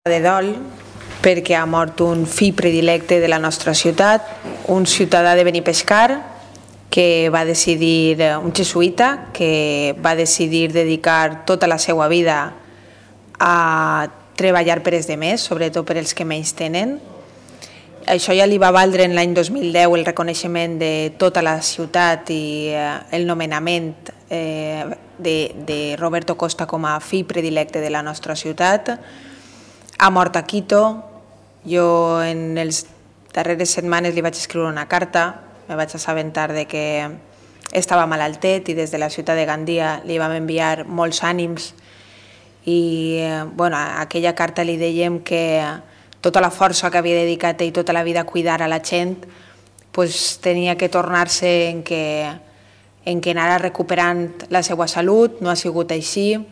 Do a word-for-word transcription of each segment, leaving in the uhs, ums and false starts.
de dol perquè ha mort un fill predilecte de la nostra ciutat, un ciutadà de Benipescar que va decidir, un jesuïta que va decidir dedicar tota la seva vida a treballar per els demés, sobretot per els que menys tenen. Això ja li va valdre en l'any dos mil deu el reconeixement de tota la ciutat i el nomenament eh, de, de Roberto Costa com a fill predilecte de la nostra ciutat. Ha mort a Quito. Jo en les darreres setmanes li vaig escriure una carta, me vaig assabentar de que estava malaltet i des de la ciutat de Gandia li vam enviar molts ànims i bueno, a aquella carta li dèiem que tota la força que havia dedicat ell tota la vida a cuidar a la gent pues, tenia que tornar-se en que, en que anara recuperant la seva salut. No ha sigut així.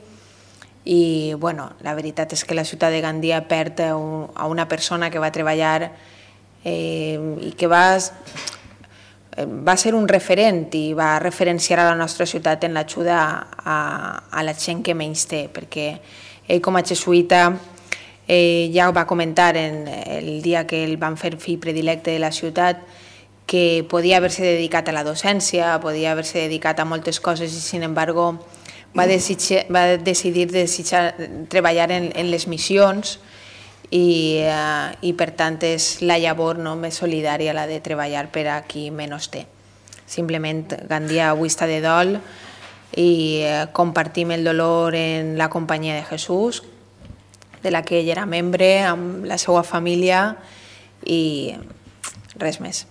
I bueno, la veritat és que la ciutat de Gandia perd a una persona que va treballar eh, i que va, va ser un referent i va referenciar a la nostra ciutat en l'ajuda a, a la gent que menys té, perquè ell com a jesuïta eh, ja va comentar en el dia que el van fer fill predilecte de la ciutat que podia haver-se dedicat a la docència, podia haver-se dedicat a moltes coses i sin embargo va, desitjar, va decidir desitjar, treballar en, en les missions i, uh, i per tant és la llavor no, més solidària la de treballar per a qui menys té. Simplement Gandia avui està de dol i uh, compartim el dolor en la companyia de Jesús, de la que ell era membre, amb la seva família i res més.